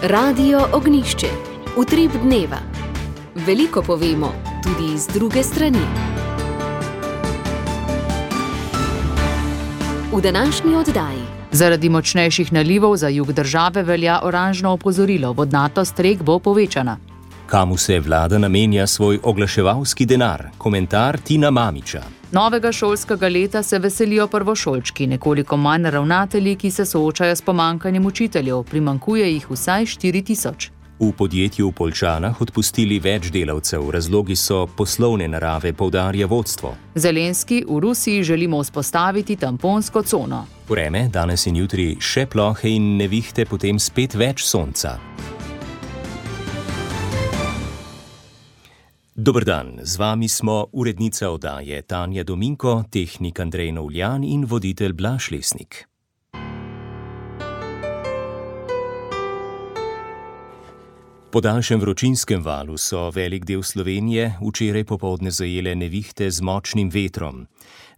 Radio Ognjišče. Utrip dneva. Veliko povemo, tudi iz druge strani. V današnji oddaji. Zaradi močnejših nalivov za jug države velja oranžno opozorilo, vodnatost rek bo povečana. Kamu se vlada namenja svoj oglaševalski denar? Komentar Tina Mamića. Novega šolskega leta se veselijo prvošolčki, nekoliko manj ravnatelji, ki se soočajo s pomanjkanjem učiteljev, primanjkuje jih vsaj 4000. V podjetju v Poljčanah odpustili več delavcev, razlogi so poslovne narave, poudarja vodstvo. Zelenski, v Rusiji želimo vzpostaviti tamponsko cono. Vreme, danes in jutri še plohe in nevihte, potem spet več sonca. Dober dan, z vami smo urednica oddaje Tanja Dominko, tehnik Andrej Novljan in voditelj Blaž Lesnik. Po daljšem vročinskem valu so velik del Slovenije včeraj popoldne zajele nevihte z močnim vetrom.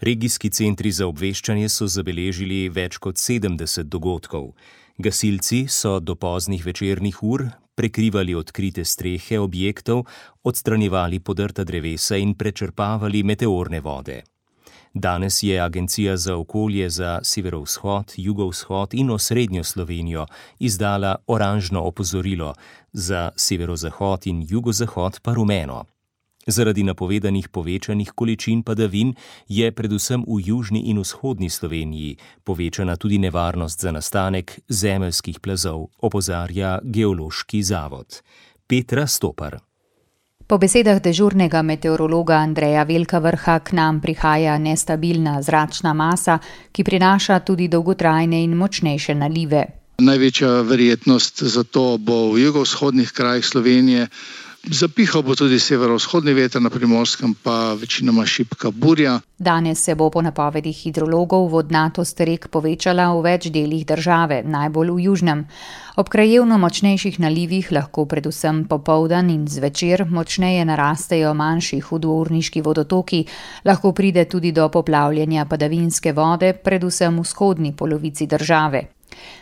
Regijski centri za obveščanje so zabeležili več kot 70 dogodkov. Gasilci so do poznih večernih ur prekrivali odkrite strehe objektov, odstranjevali podrta drevesa in prečrpavali meteorne vode. Danes je Agencija za okolje za severovzhod, jugovzhod in osrednjo Slovenijo izdala oranžno opozorilo, za severozahod in jugozahod pa rumeno. Zaradi napovedanih povečanih količin padavin je predvsem v južni in vzhodni Sloveniji povečana tudi nevarnost za nastanek zemeljskih plazov, opozarja Geološki zavod. Petra Stopar. Po besedah dežurnega meteorologa Andreja Velkavrha k nam prihaja nestabilna zračna masa, ki prinaša tudi dolgotrajne in močnejše nalive. Največja verjetnost za to bo v jugovzhodnih krajih Slovenije. Zapihal bo tudi severovzhodni veter, na Primorskem pa večinoma šibka burja. Danes se bo po napovedih hidrologov vodnatost rek povečala v več delih države, najbolj v južnem. Ob krajevno močnejših nalivih lahko predvsem popoldan in zvečer močneje narastejo manjši hudourniški vodotoki, lahko pride tudi do poplavljanja padavinske vode, predvsem v vzhodni polovici države.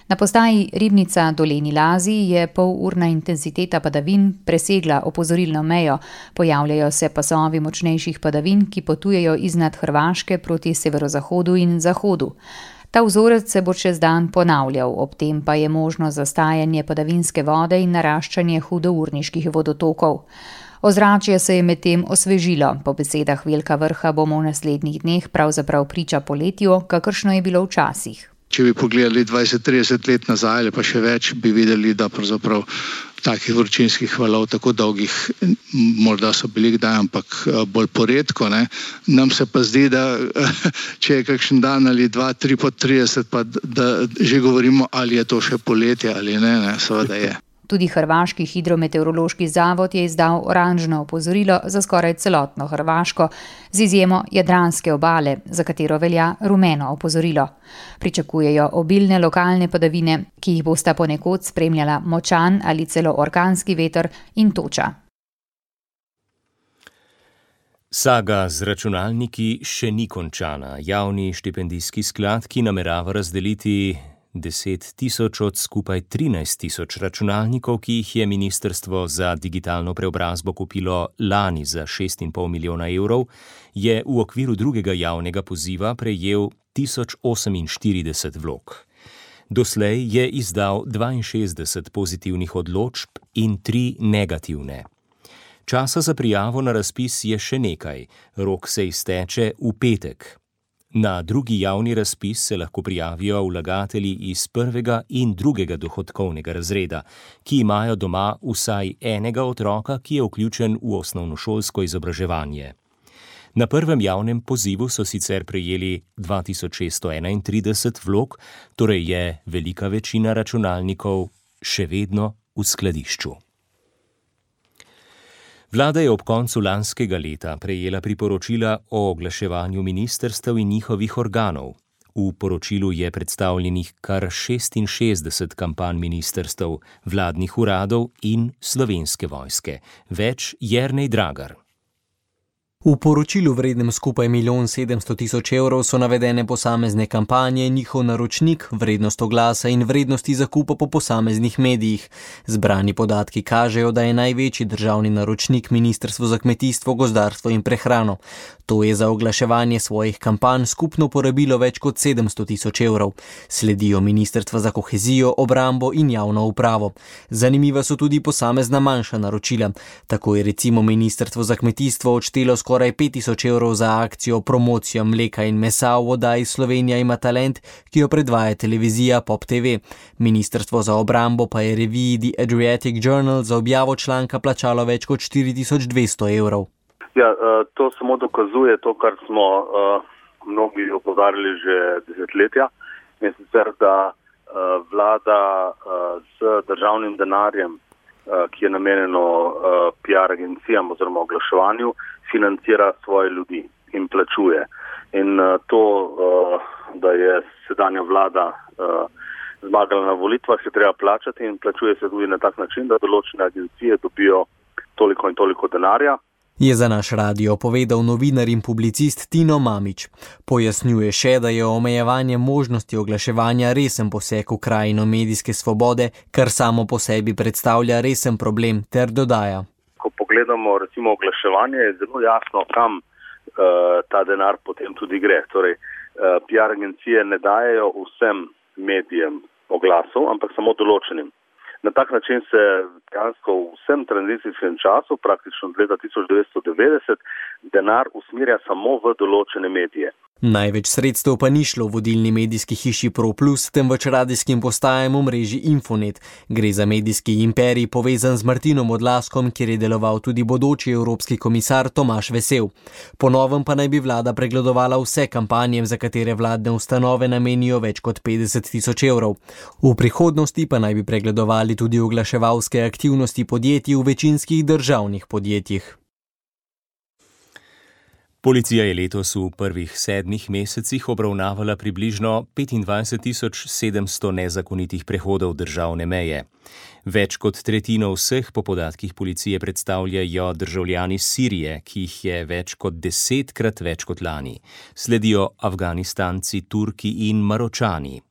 Na postaji Ribnica Dolenji Lazi je polurna intenziteta padavin presegla opozorilno mejo, pojavljajo se pasovi močnejših padavin, ki potujejo iznad Hrvaške proti severozahodu in zahodu. Ta vzorec se bo čez dan ponavljal, ob tem pa je možno zastajanje padavinske vode in naraščanje hudourniških vodotokov. Ozračje se je medtem osvežilo, po besedah Velkavrha bomo v naslednjih dneh pravzaprav priča poletju, kakršno je bilo včasih. Če bi pogledali 20-30 let nazaj ali pa še več, bi videli, da pravzaprav takih vročinskih valov tako dolgih, morda so bili kdaj, ampak bolj poredko. Nam se pa zdi, da če je kakšen dan ali 2-3 po 30, pa da že govorimo, ali je to še poletje ali ne, seveda je. Tudi Hrvaški hidrometeorološki zavod je izdal oranžno opozorilo za skoraj celotno Hrvaško, z izjemo Jadranske obale, za katero velja rumeno opozorilo. Pričakujejo obilne lokalne padavine, ki jih bosta ponekod spremljala močan ali celo orkanski veter in toča. Saga z računalniki še ni končana. Javni štipendijski sklad, ki namerava razdeliti 10 000 od skupaj 13 000 računalnikov, ki jih je Ministrstvo za digitalno preobrazbo kupilo lani za 6,5 milijona evrov, je v okviru drugega javnega poziva prejel 1048 vlog. Doslej je izdal 62 pozitivnih odločb in 3 negativne. Časa za prijavo na razpis je še nekaj, rok se izteče v petek. Na drugi javni razpis se lahko prijavijo vlagatelji iz prvega in drugega dohodkovnega razreda, ki imajo doma vsaj enega otroka, ki je vključen v osnovnošolsko izobraževanje. Na prvem javnem pozivu so sicer prejeli 2631 vlog, torej je velika večina računalnikov še vedno v skladišču. Vlada je ob koncu lanskega leta prejela priporočila o oglaševanju ministrstev in njihovih organov. V poročilu je predstavljenih kar 66 kampanj ministrstev, vladnih uradov in Slovenske vojske. Več Jernej Dragar. V poročilu vrednem skupaj 1 700 000 evrov so navedene posamezne kampanje, njihov naročnik, vrednost oglasa in vrednosti zakupa po posameznih medijih. Zbrani podatki kažejo, da je največji državni naročnik Ministrstvo za kmetijstvo, gozdarstvo in prehrano. To je za oglaševanje svojih kampanj skupno porabilo več kot 700 000 evrov. Sledijo Ministrstva za kohezijo, obrambo in javno upravo. Zanimiva so tudi posamezna manjša naročila. Tako je recimo Ministrstvo za kmetijstvo odštelo skoraj 5000 evrov za akcijo Promocija mleka in mesa v oddaji Slovenija ima talent, ki jo predvaja televizija Pop TV. Ministrstvo za obrambo pa je reviji The Adriatic Journal za objavo članka plačalo več kot 4200 evrov. Ja, to samo dokazuje to, kar smo mnogi opozarjali že desetletja, in sicer, da vlada z državnim denarjem, ki je namenjeno PR agencijam oziroma oglaševanju, financira svoje ljudi in plačuje. In to, da je sedanja vlada zmagala na volitvah, se treba plačati in plačuje se tudi na tak način, da določene agencije dobijo toliko in toliko denarja. Je za naš radio povedal novinar in publicist Tino Mamić. Pojasnjuje še, da je omejevanje možnosti oglaševanja resen poseg v krajino medijske svobode, kar samo po sebi predstavlja resen problem, ter dodaja. Ko pogledamo recimo oglaševanje, je zelo jasno, kam ta denar potem tudi gre. Torej, PR agencije ne dajejo vsem medijem oglasov, ampak samo določenim. Na tak način se dejansko v vsem tranzicijskem času, praktično od leta 1990, denar usmerja samo v določene medije. Največ sredstev pa ni šlo vodilni medijski hiši ProPlus, temveč radijskim postajam v mreži Infonet. Gre za medijski imperij povezan z Martinom Odlazkom, kjer je deloval tudi bodoči evropski komisar Tomaž Vesel. Po novem pa naj bi vlada pregledovala vse kampanje, za katere vladne ustanove namenijo več kot 50 000 evrov. V prihodnosti pa naj bi pregledovali tudi oglaševalske aktivnosti podjetij v večinskih državnih podjetjih. Policija je letos v prvih 7 mesecih obravnavala približno 25 700 nezakonitih prehodov državne meje. Več kot tretjino vseh po podatkih policije predstavljajo državljani Sirije, ki jih je več kot 10-krat več kot lani. Sledijo Afganistanci, Turki in Maročani.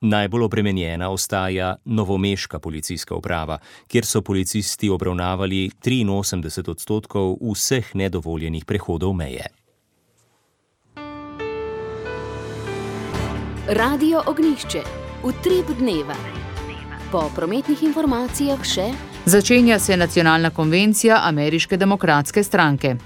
Najbolj obremenjena ostaja novomeška policijska uprava, kjer so policisti obravnavali 83% vseh nedovoljenih prehodov meje. Radio Ognjišče. Utrip dneva. Po prometnih informacijah še začenja se nacionalna konvencija Ameriške demokratske stranke.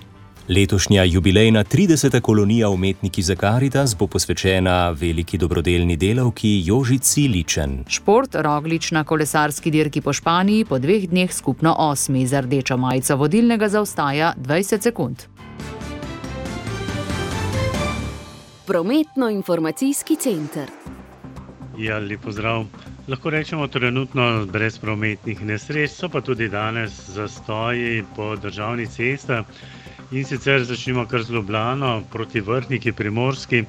Letošnja jubilejna 30. kolonija Umetniki za Karitas bo posvečena veliki dobrodelni delavki Jožici Ličen. Šport Roglič na kolesarski dirki po Španiji po 2 dneh skupno 8. Za rdečo majico vodilnega zaostaja 20 sekund. Prometno-informacijski center. Ja, lep pozdrav. Lahko rečemo trenutno brez prometnih nesreč, so pa tudi danes zastoji po državnih cestah. In sicer začnimo kar z Ljubljano proti Vrhniki Primorski,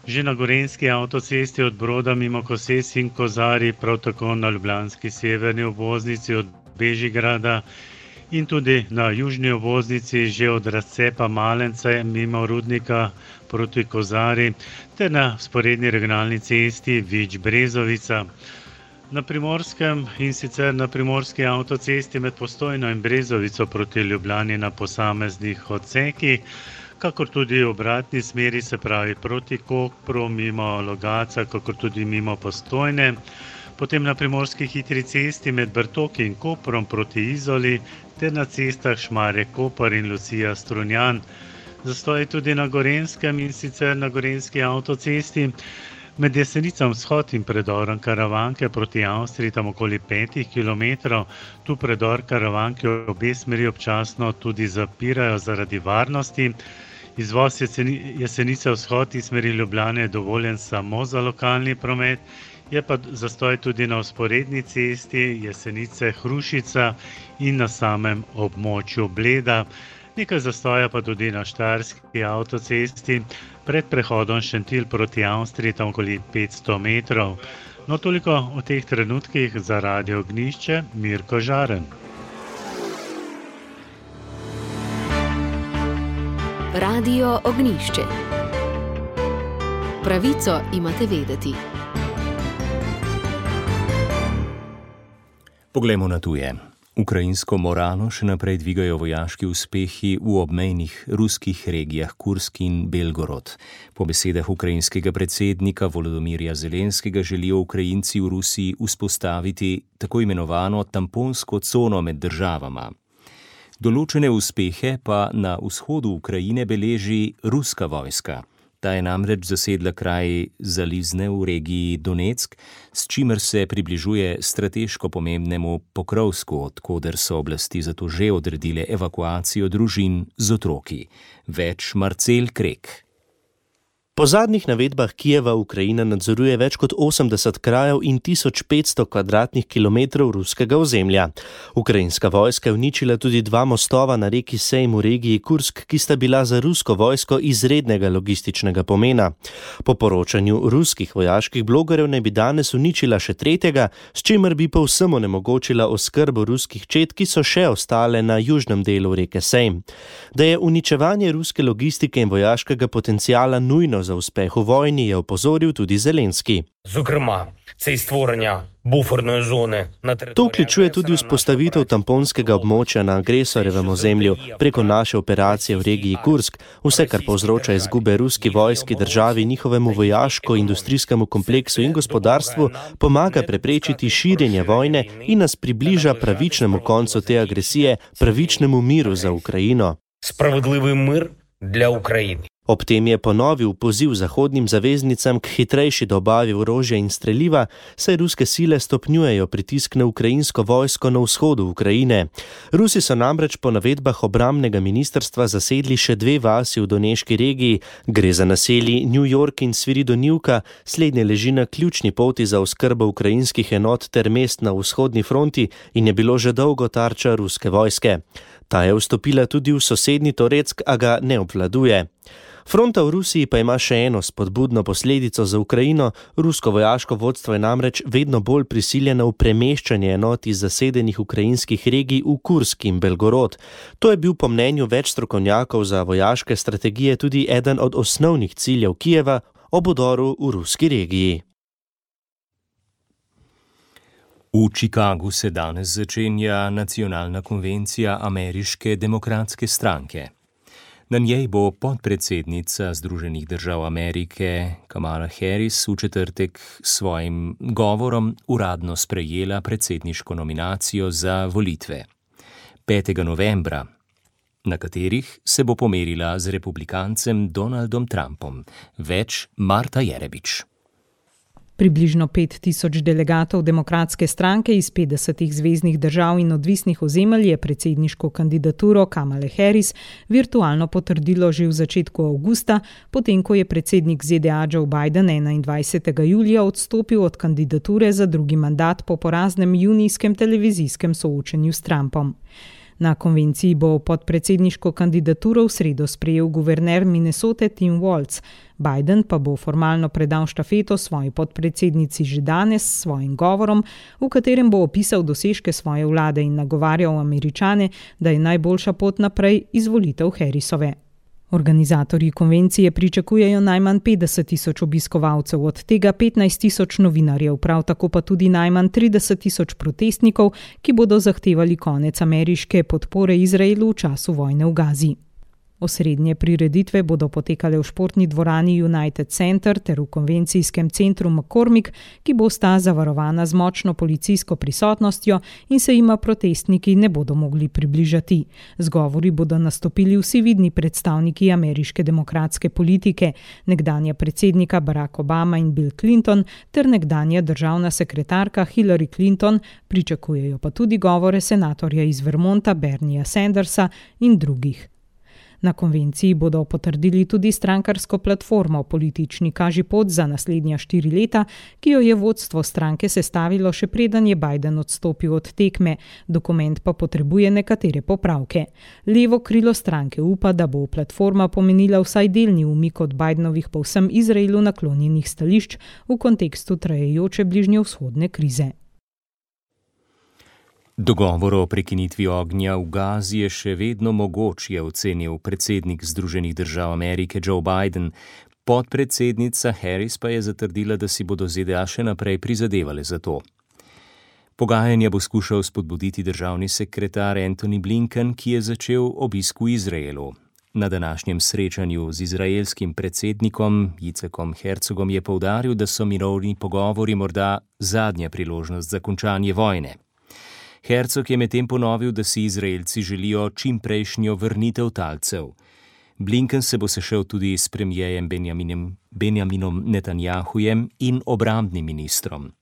že na gorenjski avtocesti od Broda mimo Koses in Kozarij, prav tako na ljubljanski severni obvoznici od Bežigrada in tudi na južni obvoznici že od razcepa Malence mimo Rudnika proti Kozarij ter na vzporedni regionalni cesti Vič-Brezovica. Na Primorskem in sicer na primorski avtocesti med Postojno in Brezovico proti Ljubljani na posameznih odsekih, kakor tudi v obratni smeri, se pravi proti Kopru, mimo Logatca, kakor tudi mimo Postojne. Potem na primorski hitri cesti med Bertoki in Koprom proti Izoli ter na cestah Šmarje-Koper in Lucija-Strunjan. Zastoj tudi na Gorenskem in sicer na gorenjski avtocesti med Jesenicam vzhod in predorom Karavanke proti Avstriji, tam okoli 5 km. Tu predor Karavanke v obe smeri občasno tudi zapirajo zaradi varnosti. Izvoz Jesenice vzhod iz smeri Ljubljane je dovoljen samo za lokalni promet. Je pa zastoj tudi na vzporedni cesti Jesenice Hrušica in na samem območju Bleda. Nekaj zastoja pa tudi na štajerski avtocesti pred prehodom Šentilj proti Avstriji, tam okoli 500 metrov. No, toliko o teh trenutkih za Radio Ognjišče, Mirko Žaren. Radio Ognišče. Pravico imate vedeti. Poglejmo na tuje. Ukrajinsko moralo še naprej dvigajo vojaški uspehi v obmejnih ruskih regijah Kursk in Belgorod. Po besedah ukrajinskega predsednika Volodymyra Zelenskega želijo Ukrajinci v Rusiji vzpostaviti tako imenovano tamponsko cono med državama. Določene uspehe pa na vzhodu Ukrajine beleži ruska vojska. Ta je namreč zasedla kraj Zalizne v regiji Donetsk, s čimer se približuje strateško pomembnemu Pokrovsku, odkoder so oblasti zato že odredile evakuacijo družin z otroki. Več Marcel Krek. Po zadnjih navedbah Kijeva Ukrajina nadzoruje več kot 80 krajev in 1500 kvadratnih kilometrov ruskega ozemlja. Ukrajinska vojska je uničila tudi 2 mostova na reki Sejm v regiji Kursk, ki sta bila za rusko vojsko izrednega logističnega pomena. Po poročanju ruskih vojaških blogerjev naj bi danes uničila še 3., s čimer bi povsem onemogočila oskrbo ruskih čet, ki so še ostale na južnem delu reke Sejm. Da je uničevanje ruske logistike in vojaškega potenciala nujno za uspeh v vojni, je opozoril tudi Zelenski. To vključuje tudi vzpostavitev tamponskega območja na agresorjevem ozemlju preko naše operacije v regiji Kursk, vse, kar povzroča izgube ruski vojski državi, njihovemu vojaško-industrijskemu kompleksu in gospodarstvu, pomaga preprečiti širjenje vojne in nas približa pravičnemu koncu te agresije, pravičnemu miru za Ukrajino. Spravodlivý mir dla Ukrajiny. Ob tem je ponovil poziv zahodnim zaveznicam k hitrejši dobavi orožja in streliva, saj ruske sile stopnjujejo pritisk na ukrajinsko vojsko na vzhodu Ukrajine. Rusi so namreč po navedbah obrambnega ministrstva zasedli še 2 vasi v Doneški regiji, gre za naselji New York in Sviridonivka, slednje leži na ključni poti za oskrbo ukrajinskih enot ter mest na vzhodni fronti in je bilo že dolgo tarča ruske vojske. Ta je vstopila tudi v sosednji Toretsk, a ga ne obvladuje. Fronta v Rusiji pa ima še eno spodbudno posledico za Ukrajino. Rusko vojaško vodstvo je namreč vedno bolj prisiljeno v premeščanje enot iz zasedenih ukrajinskih regij v Kursk in Belgorod. To je bil po mnenju več strokovnjakov za vojaške strategije tudi eden od osnovnih ciljev Kijeva ob vdoru v ruski regiji. V Chicagu se danes začenja nacionalna konvencija Ameriške demokratske stranke. Na njej bo podpredsednica Združenih držav Amerike Kamala Harris v četrtek s svojim govorom uradno sprejela predsedniško nominacijo za volitve 5. novembra, na katerih se bo pomerila z republikancem Donaldom Trumpom. Več Marta Jerebič. Približno 5000 delegatov demokratske stranke iz 50 zveznih držav in odvisnih ozemelj je predsedniško kandidaturo Kamale Harris virtualno potrdilo že v začetku avgusta, potem ko je predsednik ZDA Joe Biden 21. julija odstopil od kandidature za drugi mandat po poraznem junijskem televizijskem soočenju s Trumpom. Na konvenciji bo podpredsedniško kandidaturo v sredo sprejel guverner Minnesote Tim Walz. Biden pa bo formalno predal štafeto svoji podpredsednici že danes s svojim govorom, v katerem bo opisal dosežke svoje vlade in nagovarjal Američane, da je najboljša pot naprej izvolitev Harrisove. Organizatorji konvencije pričakujejo najmanj 50,000 obiskovalcev, od tega 15,000 novinarjev, prav tako pa tudi najmanj 30,000 protestnikov, ki bodo zahtevali konec ameriške podpore Izraelu v času vojne v Gazi. Osrednje prireditve bodo potekale v športni dvorani United Center ter v konvencijskem centru McCormick, ki bosta zavarovana z močno policijsko prisotnostjo in se jima protestniki ne bodo mogli približati. Z govori bodo nastopili vsi vidni predstavniki ameriške demokratske politike, nekdanja predsednika Barack Obama in Bill Clinton ter nekdanja državna sekretarka Hillary Clinton, pričakujejo pa tudi govore senatorja iz Vermonta Bernieja Sandersa in drugih. Na konvenciji bodo potrdili tudi strankarsko platformo Politični kažipot za naslednja 4 leta, ki jo je vodstvo stranke sestavilo še preden je Biden odstopil od tekme. Dokument pa potrebuje nekatere popravke. Levo krilo stranke upa, da bo platforma pomenila vsaj delni umik od Bidenovih povsem Izraelu naklonjenih stališč v kontekstu trajajoče bližnjevzhodne krize. Dogovor o prekinitvi ognja v Gazi je še vedno mogoč, je ocenil predsednik Združenih držav Amerike Joe Biden. Podpredsednica Harris pa je zatrdila, da si bodo ZDA še naprej prizadevale za to. Pogajanja bo skušal spodbuditi državni sekretar Antony Blinken, ki je začel obisk v Izraelu. Na današnjem srečanju z izraelskim predsednikom Yitzhakom Herzogom je poudaril, da so mirovni pogovori morda zadnja priložnost za končanje vojne. Herzog je medtem ponovil, da si Izraelci želijo čimprejšnjo vrnitev talcev. Blinken se bo sešel tudi s premijejem Benjaminom Netanjahujem in obrambnim ministrom.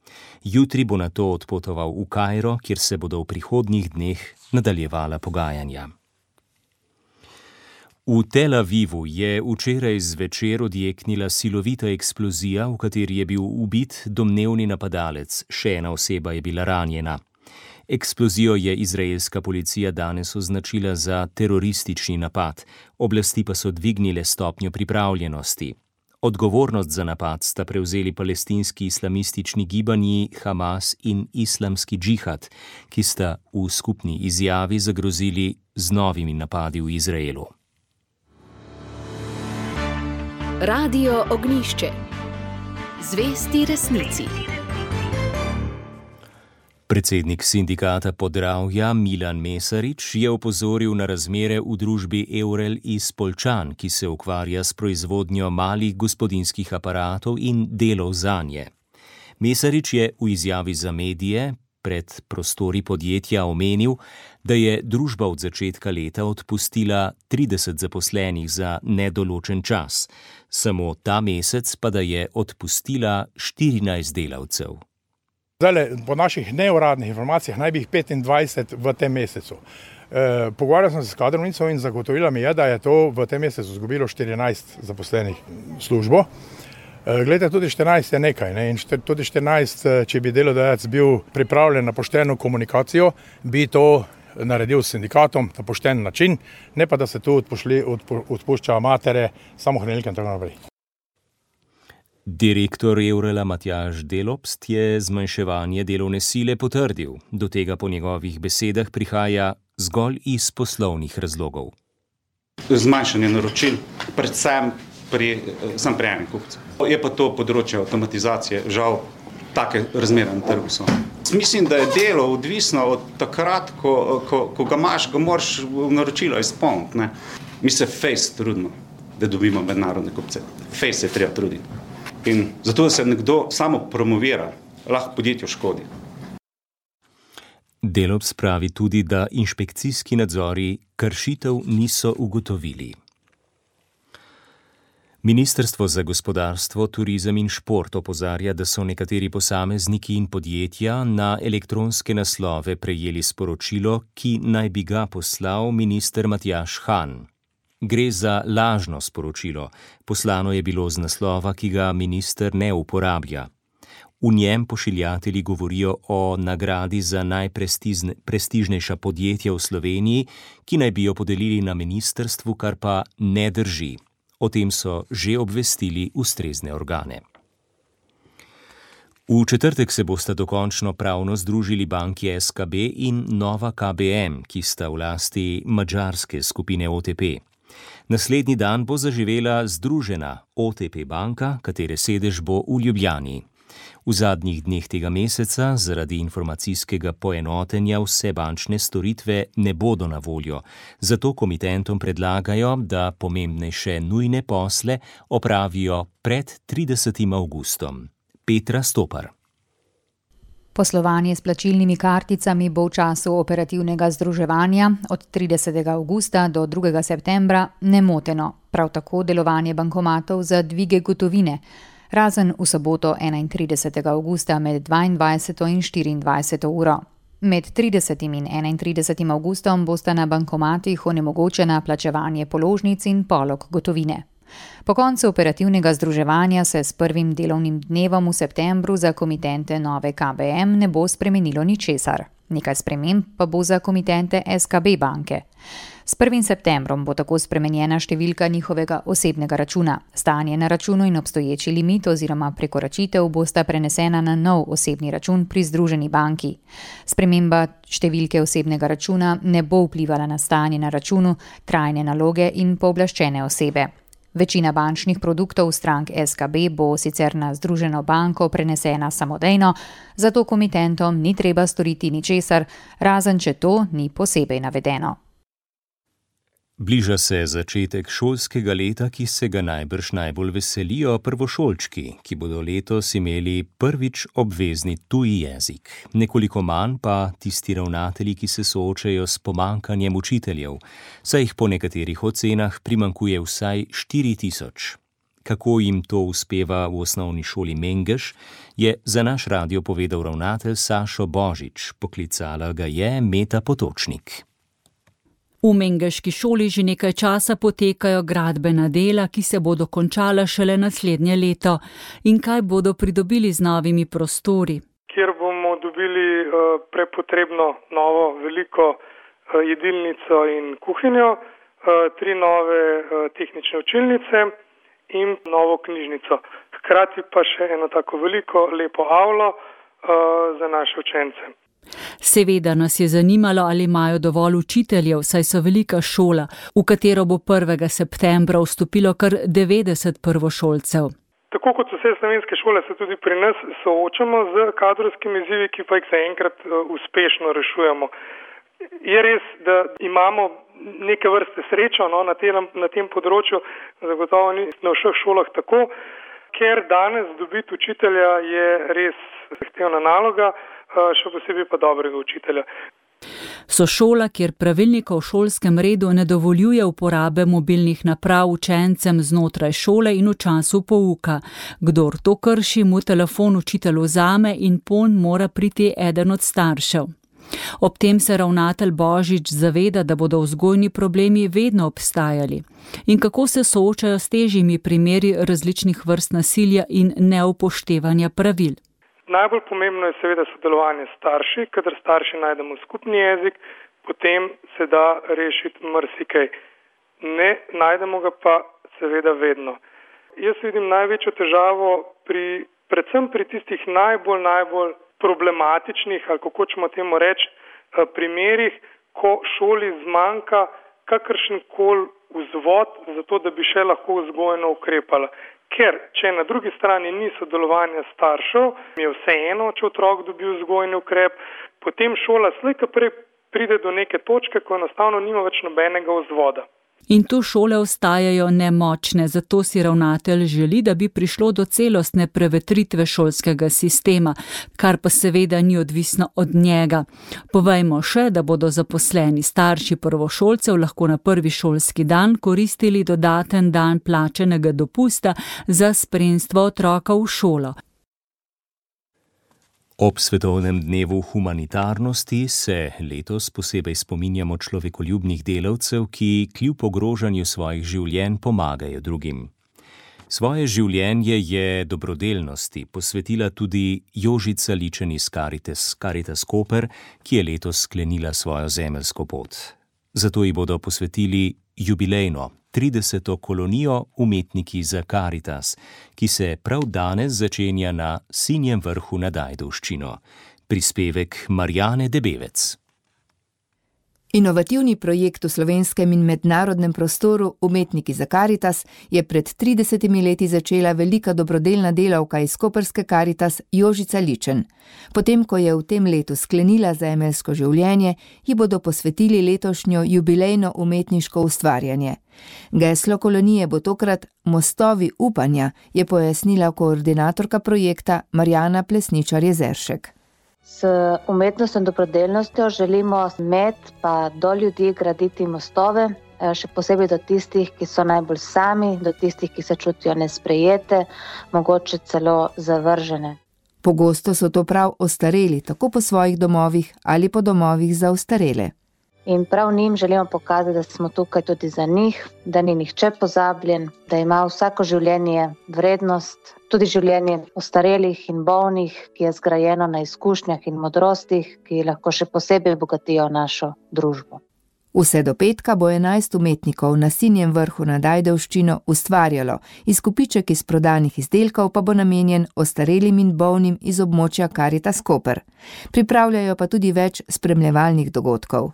Jutri bo nato odpotoval v Kairo, kjer se bodo v prihodnjih dneh nadaljevala pogajanja. V Tel Avivu je včeraj zvečer odjeknila silovita eksplozija, v kateri je bil ubit domnevni napadalec, še ena oseba je bila ranjena. Eksplozijo je izraelska policija danes označila za teroristični napad, oblasti pa so dvignile stopnjo pripravljenosti. Odgovornost za napad sta prevzeli palestinski islamistični gibanji Hamas in Islamski džihad, ki sta v skupni izjavi zagrozili z novimi napadi v Izraelu. Radio Ognjišče. Zvesti resnici. Predsednik sindikata Podravja Milan Mesarič je opozoril na razmere v družbi Evrel iz Poljčan, ki se ukvarja s proizvodnjo malih gospodinjskih aparatov in delov zanje. Mesarič je v izjavi za medije pred prostori podjetja omenil, da je družba od začetka leta odpustila 30 zaposlenih za nedoločen čas. Samo ta mesec pa da je odpustila 14 delavcev. Zdaj, po naših neuradnih informacijah naj bi jih 25 v tem mesecu. Pogovarjal sem se s kadrovnico in zagotovila mi je, da je to v tem mesecu izgubilo 14 zaposlenih službo. Glede, tudi 14 je nekaj, in tudi 14, če bi delodajalec bil pripravljen na pošteno komunikacijo, bi to naredil s sindikatom na pošten način, ne pa da se tu odpušča matere, samohranilke in tako naprej. Direktor Evrela Matjaž Delopst je zmanjševanje delovne sile potrdil. Do tega po njegovih besedah prihaja zgolj iz poslovnih razlogov. Zmanjšanje naročil, predvsem pri enem kupcu. Je pa to področje avtomatizacije, žal, take razmere na trgu so. Mislim, da je delo odvisno od takrat, ko ga imaš, ga moraš naročilo izpolniti. Mi se fejs trudimo, da dobimo mednarodne kupce. Fejs se treba truditi. In zato se nekdo samo promovira, lahko podjetju škodi. Delopst pravi tudi, da inšpekcijski nadzori kršitev niso ugotovili. Ministrstvo za gospodarstvo, turizem in šport opozarja, da so nekateri posamezniki in podjetja na elektronske naslove prejeli sporočilo, ki naj bi ga poslal minister Matjaž Han. Gre za lažno sporočilo. Poslano je bilo z naslova, ki ga minister ne uporablja. V njem pošiljatelji govorijo o nagradi za najprestižnejša podjetja v Sloveniji, ki naj bi jo podelili na ministrstvu, kar pa ne drži. O tem so že obvestili ustrezne organe. V četrtek se bosta dokončno pravno združili banki SKB in Nova KBM, ki sta v lasti madžarske skupine OTP. Naslednji dan bo zaživela združena OTP banka, katere sedež bo v Ljubljani. V zadnjih dneh tega meseca zaradi informacijskega poenotenja vse bančne storitve ne bodo na voljo, zato komitentom predlagajo, da pomembnejše nujne posle opravijo pred 30. avgustom. Petra Stopar. Poslovanje s plačilnimi karticami bo v času operativnega združevanja od 30. avgusta do 2. septembra nemoteno, prav tako delovanje bankomatov za dvige gotovine, razen v soboto 31. avgusta med 22. in 24. uro. Med 30. in 31. avgustom bosta na bankomatih onemogočena plačevanje položnic in polog gotovine. Po koncu operativnega združevanja se s prvim delovnim dnevom v septembru za komitente nove KBM ne bo spremenilo ničesar. Nekaj sprememb pa bo za komitente SKB banke. S 1. septembrom bo tako spremenjena številka njihovega osebnega računa. Stanje na računu in obstoječi limit oziroma prekoračitev bosta prenesena na nov osebni račun pri združeni banki. Sprememba številke osebnega računa ne bo vplivala na stanje na računu, trajne naloge in pooblaščene osebe. Večina bančnih produktov strank SKB bo sicer na združeno banko prenesena samodejno, zato komitentom ni treba storiti ničesar, razen če to ni posebej navedeno. Bliža se začetek šolskega leta, ki se ga najbrž najbolj veselijo prvošolčki, ki bodo letos imeli prvič obvezni tuji jezik. Nekoliko manj pa tisti ravnatelji, ki se soočajo s pomanjkanjem učiteljev, saj jih po nekaterih ocenah primanjkuje vsaj 4000. Kako jim to uspeva v osnovni šoli Mengeš, je za naš radio povedal ravnatelj Sašo Božič. Poklicala ga je Meta Potočnik. V Mengeški šoli že nekaj časa potekajo gradbena dela, ki se bodo končala šele naslednje leto. In kaj bodo pridobili z novimi prostori? Kjer bomo dobili prepotrebno novo veliko jedilnico in kuhinjo, 3 nove tehnične učilnice in novo knjižnico. Hkrati pa še eno tako veliko lepo avlo za naše učence. Seveda nas je zanimalo, ali imajo dovolj učiteljev, saj so velika šola, v katero bo 1. septembra vstopilo kar 90 prvošolcev. Tako kot vse slovenske šole se tudi pri nas soočamo z kadrovskimi izzivi, ki pa jih zaenkrat uspešno rešujemo. Je res, da imamo neke vrste srečo na tem področju, zagotovo ni na vseh šolah tako, ker danes dobiti učitelja je res zahtevna naloga, še posebej pa dobrega učitelja. So šola, kjer pravilnik o šolskem redu ne dovoljuje uporabe mobilnih naprav učencem znotraj šole in v času pouka. Kdor to krši, mu telefon učitelj vzame in ponj mora priti eden od staršev. Ob tem se ravnatelj Božič zaveda, da bodo vzgojni problemi vedno obstajali. In kako se soočajo s težjimi primeri različnih vrst nasilja in neupoštevanja pravil. Najbolj pomembno je seveda sodelovanje s starši, kadar starši najdemo skupni jezik, potem se da rešiti marsikaj. Ne najdemo ga pa seveda vedno. Jaz vidim največjo težavo predvsem pri tistih najbolj problematičnih, ali kako hočemo temu reči, primerih, ko šoli zmanjka kakršenkoli vzvod za to, da bi še lahko vzgojno ukrepala. Ker, če na drugi strani ni sodelovanja staršev, je vseeno, če otrok dobi vzgojni ukrep, potem šola slej ko prej pride do neke točke, ko enostavno nima več nobenega vzvoda. In tu šole ostajajo nemočne, zato si ravnatelj želi, da bi prišlo do celostne prevetritve šolskega sistema, kar pa seveda ni odvisno od njega. Povejmo še, da bodo zaposleni starši prvošolcev lahko na prvi šolski dan koristili dodaten dan plačenega dopusta za spremstvo otroka v šolo. Ob svetovnem dnevu humanitarnosti se letos posebej spominjamo človekoljubnih delavcev, ki kljub ogrožanju svojih življenj pomagajo drugim. Svoje življenje je dobrodelnosti posvetila tudi Jožica Ličen iz Caritas Koper, ki je letos sklenila svojo zemeljsko pot. Zato ji bodo posvetili jubilejno 30. kolonijo Umetniki za Caritas, ki se prav danes začenja na Sinjem vrhu nad Ajdovščino. Prispevek Marjane Debevec. Inovativni projekt v slovenskem in mednarodnem prostoru Umetniki za Caritas je pred 30 leti začela velika dobrodelna delavka iz koprske Caritas Jožica Ličen. Potem, ko je v tem letu sklenila zemeljsko življenje, ji bodo posvetili letošnjo jubilejno umetniško ustvarjanje. Geslo kolonije bo tokrat Mostovi upanja, je pojasnila koordinatorka projekta Marjana Plesničar-Jezeršek. S umetnostjo in dobrodelnostjo želimo med pa do ljudi graditi mostove, še posebej do tistih, ki so najbolj sami, do tistih, ki se čutijo nesprejete, mogoče celo zavržene. Pogosto so to prav ostareli, tako po svojih domovih ali po domovih za ostarele. In prav njim želimo pokazati, da smo tukaj tudi za njih, da ni nihče pozabljen, da ima vsako življenje vrednost, tudi življenje ostarelih in bolnih, ki je zgrajeno na izkušnjah in modrostih, ki lahko še posebej bogatijo našo družbo. Vse do petka bo 11 umetnikov na Sinjem vrhu nad Ajdovščino ustvarjalo, izkupiček iz prodanih izdelkov pa bo namenjen ostarelim in bolnim iz območja Karitas Koper. Pripravljajo pa tudi več spremljevalnih dogodkov.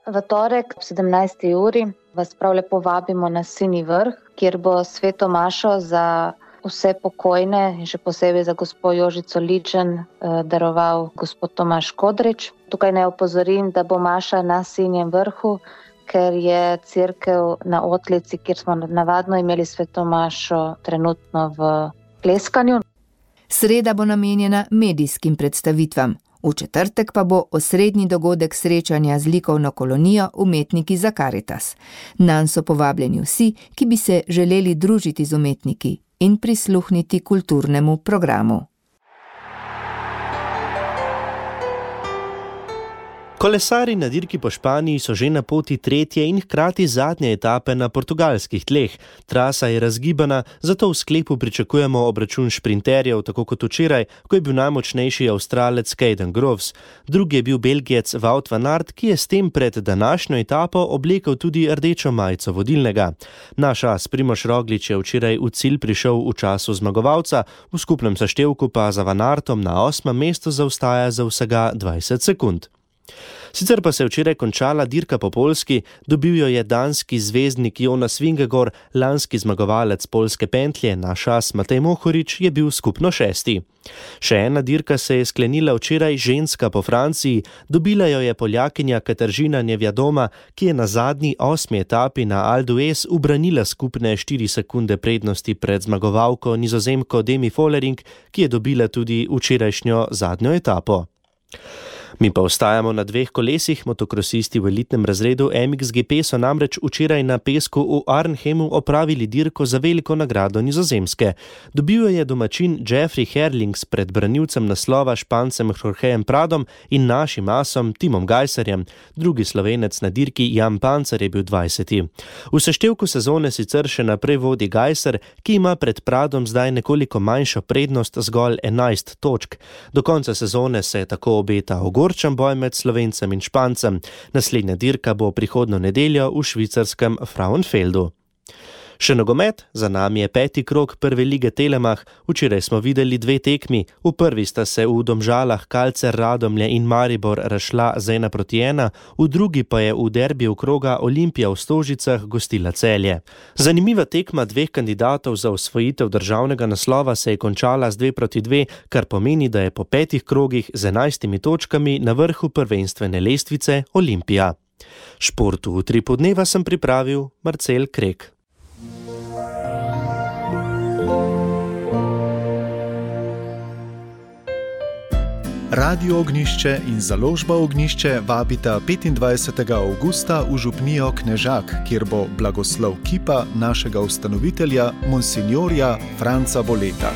V torek ob 17. uri vas prav lepo vabimo na Sinji vrh, kjer bo sveto mašo za vse pokojne in še posebej za gospo Jožico Ličen daroval gospod Tomaž Kodrič. Tukaj naj opozorim, da bo maša na Sinjem vrhu, ker je cerkev na Otlici, kjer smo navadno imeli sveto mašo, trenutno v kleskanju. Sreda bo namenjena medijskim predstavitvam. V četrtek pa bo osrednji dogodek srečanja z likovno kolonijo Umetniki za Karitas. Nanj so povabljeni vsi, ki bi se želeli družiti z umetniki in prisluhniti kulturnemu programu. Kolesarji na dirki po Španiji so že na poti tretje in hkrati zadnje etape na portugalskih tleh. Trasa je razgibana, zato v sklepu pričakujemo obračun šprinterjev, tako kot včeraj, ko je bil najmočnejši Avstralec Caden Groves. Drugi je bil Belgijec Wout van Aert, ki je s tem pred današnjo etapo oblekel tudi rdečo majico vodilnega. Naš as Primož Roglič je včeraj v cilj prišel v času zmagovalca, v skupnem seštevku pa za Van Aertom na 8. mestu zaostaja za vsega 20 sekund. Sicer pa se je včeraj končala dirka po Poljski, dobil jo je danski zvezdnik Jonas Vingegaard, lanski zmagovalec poljske pentlje, naš as Matej Mohorič je bil skupno 6. Še ena dirka se je sklenila včeraj, ženska po Franciji, dobila jo je Poljakinja Katarzyna Nevjadoma, ki je na zadnji 8. etapi na Alpe d'Huez ubranila skupne 4 sekunde prednosti pred zmagovalko Nizozemko Demi Vollering, ki je dobila tudi včerajšnjo zadnjo etapo. Mi pa ostajamo na 2 kolesih. Motokrosisti v elitnem razredu MXGP so namreč včeraj na pesku v Arnhemu opravili dirko za veliko nagrado Nizozemske. Dobil je domačin Jeffrey Herlings pred branilcem naslova Špancem Jorgejem Pradom in našim asom Timom Gajserjem. Drugi Slovenec na dirki Jan Pancer je bil 20. V seštevku sezone sicer še naprej vodi Gajser, ki ima pred Pradom zdaj nekoliko manjšo prednost, zgolj 11 točk. Do konca sezone se tako obeta ogorčen boj med Slovencem in Špancem. Naslednja dirka bo prihodnjo nedeljo v švicarskem Frauenfeldu. Še nogomet, za nami je 5. krog prve lige Telemach. Včeraj smo videli 2 tekmi. V prvi sta se v Domžalah Kalcer Radomlje in Maribor razšla z 1-1, v drugi pa je v derbiju kroga Olimpija v Stožicah gostila Celje. Zanimiva tekma 2 kandidatov za osvojitev državnega naslova se je končala z 2-2, kar pomeni, da je po 5 krogih z 11 točkami na vrhu prvenstvene lestvice Olimpija. Športu v 3 podneva sem pripravil Marcel Krek. Radio Ognjišče in založba Ognjišče vabita 25. avgusta v župnijo Knežak, kjer bo blagoslov kipa našega ustanovitelja, monsignorja Franca Boleta.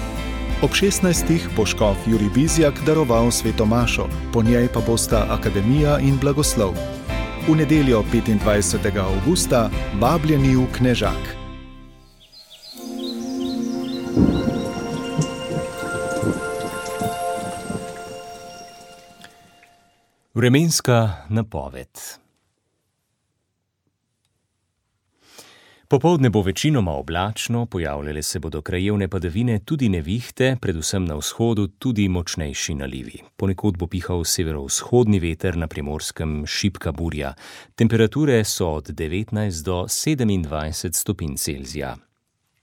Ob 16. bo škof Jurij Bizjak daroval sveto mašo, po njej pa bosta akademija in blagoslov. V nedeljo 25. avgusta vabljeni v Knežak. Vremenska napoved. Popoldne bo večinoma oblačno, pojavljale se bodo krajevne padavine, tudi nevihte, predvsem na vzhodu tudi močnejši nalivi. Ponekod bo pihal severovzhodni veter, na Primorskem šibka burja. Temperature so od 19 do 27 stopinj Celzija.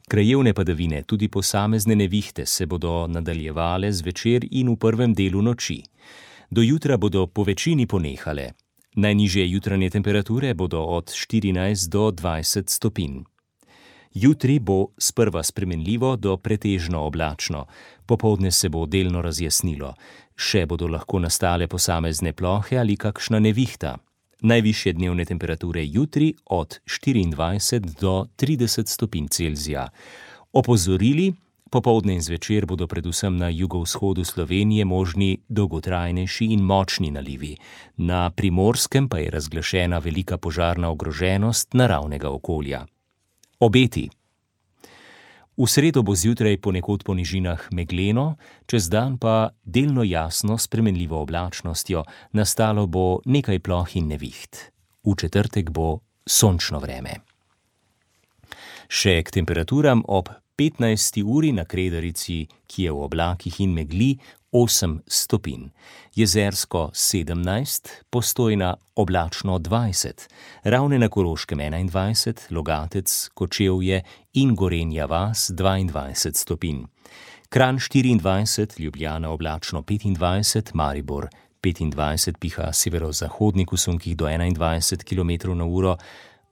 Krajevne padavine, tudi posamezne nevihte, se bodo nadaljevale zvečer in v prvem delu noči. Do jutra bodo po večini ponehale. Najnižje jutranje temperature bodo od 14 do 20 stopinj. Jutri bo sprva spremenljivo do pretežno oblačno. Popoldne se bo delno razjasnilo. Še bodo lahko nastale posamezne plohe ali kakšna nevihta. Najvišje dnevne temperature jutri od 24 do 30 stopinj Celzija. Opozorili Popoldne in zvečer bodo predvsem na jugovzhodu Slovenije možni dolgotrajnejši in močni nalivi. Na Primorskem pa je razglašena velika požarna ogroženost naravnega okolja. Obeti. V sredo bo zjutraj ponekod po nižinah megleno, čez dan pa delno jasno s spremenljivo oblačnostjo, nastalo bo nekaj ploh in neviht. V četrtek bo sončno vreme. Še k temperaturam ob 15. uri na Kredarici, ki je v oblakih in megli, 8 stopinj. Jezersko 17, Postojna oblačno 20, Ravne na Koroškem 21, Logatec, Kočevje in Gorenja vas 22 stopinj. Kranj 24, Ljubljana oblačno 25, Maribor 25, piha severozahodnik v sunkih do 21 km/h,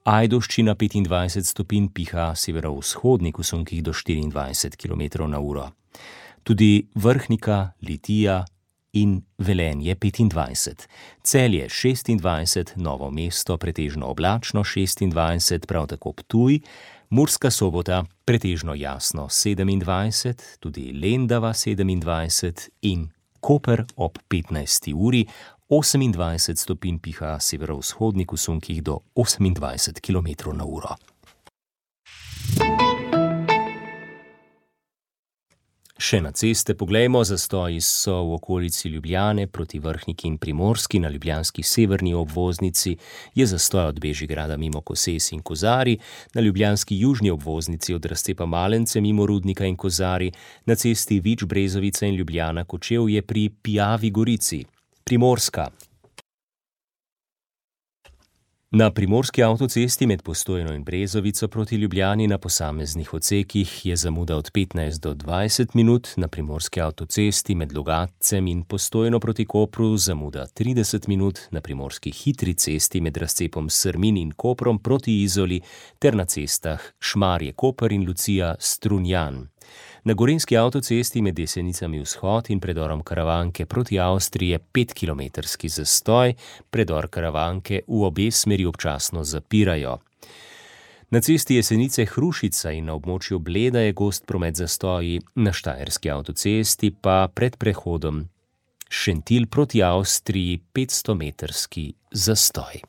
Ajdovščina 25 stopinj, piha severovzhodnik v sunkih do 24 km/h. Tudi Vrhnika, Litija in Velenje 25. Celje 26, Novo mesto pretežno oblačno 26, prav tako Ptuj, Murska Sobota pretežno jasno 27, tudi Lendava 27 in Koper ob 15. uri 28 stopinj, piha severovzhodnik v sunkih do 28 km/h. Še na ceste poglejmo, zastoji so v okolici Ljubljane proti Vrhniki in Primorski, na ljubljanski severni obvoznici je zastoj od Bežigrada mimo Koses in Kozari, na ljubljanski južni obvoznici od razcepa Malence mimo Rudnika in Kozari, na cesti Vič, Brezovica in Ljubljana Kočevje pri Pijavi Gorici. Primorska. Na primorski avtocesti med Postojno in Brezovico proti Ljubljani na posameznih odsekih je zamuda od 15 do 20 minut, na primorski avtocesti med Logatcem in Postojno proti Kopru zamuda 30 minut, na primorski hitri cesti med razcepom Srmin in Koprom proti Izoli ter na cestah Šmarje-Koper in Lucija-Strunjan. Na gorenjski avtocesti med Jesenicami vzhod in predorom Karavanke proti Avstriji je 5-kilometrski zastoj, predor Karavanke v obe smeri občasno zapirajo. Na cesti Jesenice-Hrušica in na območju Bleda je gost promet zastoji, na štajerski avtocesti pa pred prehodom Šentilj proti Avstriji 500-metrski zastoj.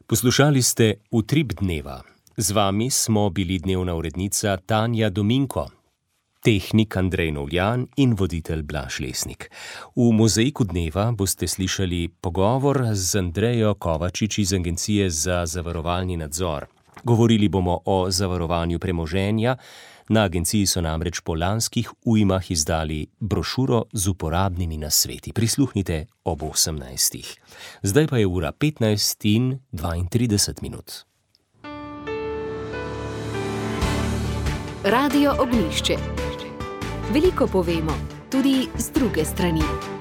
Poslušali ste Utrip dneva. Z vami smo bili dnevna urednica Tanja Dominko, tehnik Andrej Novljan in voditelj Blaž Lesnik. V Mozaiku dneva boste slišali pogovor z Andrejo Kovačič iz Agencije za zavarovalni nadzor. Govorili bomo o zavarovanju premoženja. Na agenciji so namreč po lanskih ujmah izdali brošuro z uporabnimi nasveti. Prisluhnite ob 18. Zdaj pa je ura 15:32 minut. Radio Ognjišče. Veliko povemo, tudi z druge strani.